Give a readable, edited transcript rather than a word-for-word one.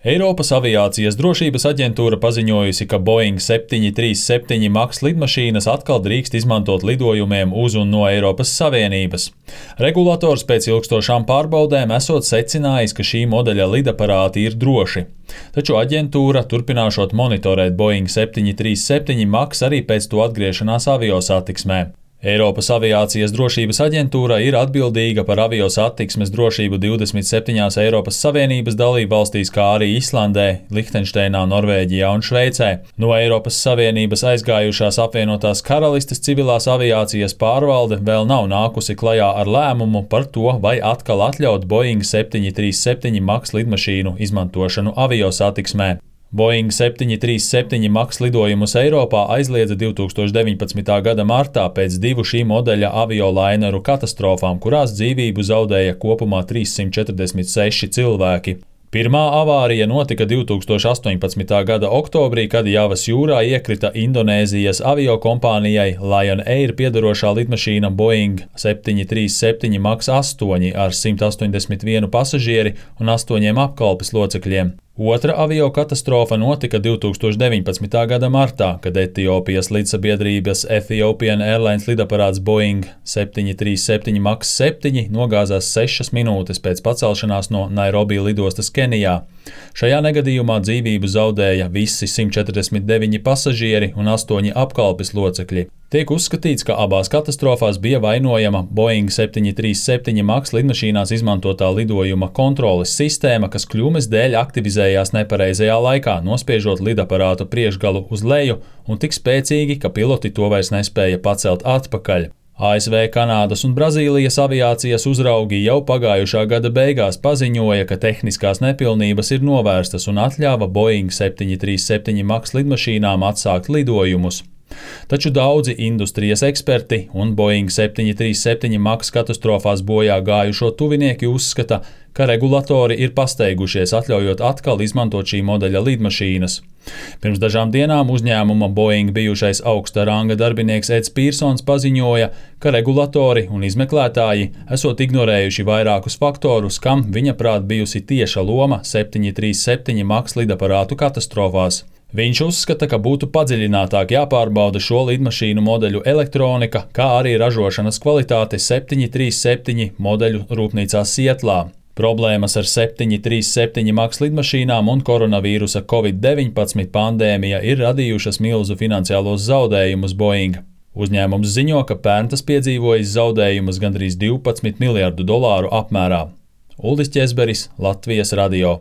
Eiropas aviācijas drošības aģentūra paziņojusi, ka Boeing 737 MAX lidmašīnas atkal drīkst izmantot lidojumiem uz un no Eiropas Savienības. Regulators pēc ilgstošām pārbaudēm esot secinājis, ka šī modeļa lidaparāti ir droši. Taču aģentūra turpināšot monitorēt Boeing 737 MAX arī pēc to atgriešanās aviosatiksmē. Eiropas aviācijas drošības aģentūra ir atbildīga par aviosatiksmes drošību 27 Eiropas Savienības dalībvalstīs, kā arī Islandē, Lihtenšteinā, Norvēģijā un Šveicē. No Eiropas Savienības aizgājušās apvienotās karalistes civilās aviācijas pārvalde vēl nav nākusi klajā ar lēmumu par to, vai atkal atļaut Boeing 737 MAX lidmašīnu izmantošanu aviosatiksmē. Boeing 737 MAX lidojumus Eiropā aizliedza 2019. gada martā pēc divu šī modeļa aviolaineru katastrofām, kurās dzīvību zaudēja kopumā 346 cilvēki. Pirmā avārija notika 2018. gada oktobrī, kad Javas jūrā iekrita Indonēzijas aviokompānijai Lion Air piederošā lidmašīna Boeing 737 MAX 8 ar 181 pasažieri un 8 apkalpes locekļiem. Otra aviokatastrofa notika 2019. gada martā, kad Etiopijas lidsabiedrības Ethiopian Airlines lidaparāts Boeing 737 MAX 7 nogāzās 6 minūtes pēc pacelšanās no Nairobi lidostas Kenijā. Šajā negadījumā dzīvību zaudēja visi 149 pasažieri un 8 apkalpes locekļi. Tiek uzskatīts, ka abās katastrofās bija vainojama Boeing 737 MAX lidmašīnās izmantotā lidojuma kontroles sistēma, kas kļūmes dēļ aktivizējās nepareizajā laikā, nospiežot lidaparātu priekšgalu uz leju un tik spēcīgi, ka piloti to vairs nespēja pacelt atpakaļ. ASV, Kanādas un Brazīlijas aviācijas uzraugi jau pagājušā gada beigās paziņoja, ka tehniskās nepilnības ir novērstas un atļāva Boeing 737 MAX lidmašīnām atsākt lidojumus. Taču daudzi industrijas eksperti un Boeing 737 MAX katastrofās bojā gājušo tuvinieki uzskata, ka regulatori ir pasteigušies, atļaujot atkal izmantot šī modeļa lidmašīnas. Pirms dažām dienām uzņēmuma Boeing bijušais augsta ranga darbinieks Eds Pīrsons paziņoja, ka regulatori un izmeklētāji esot ignorējuši vairākus faktorus, kam viņa prāt bijusi tieša loma 737 MAX lidaparātu katastrofās. Viņš uzskata, ka būtu padziļinātāk jāpārbauda šo lidmašīnu modeļu elektronika, kā arī ražošanas kvalitāte 737 modeļu rūpnīcā Sietlā. Problēmas ar 737 MAX lidmašīnām un koronavīrusa Covid-19 pandēmija ir radījušas milzu finansiālos zaudējumus Boeing. Uzņēmums ziņo, ka pērn tas piedzīvojis zaudējumus gandrīz $12 miljardu apmērā. Uldis Ķezberis, Latvijas radio.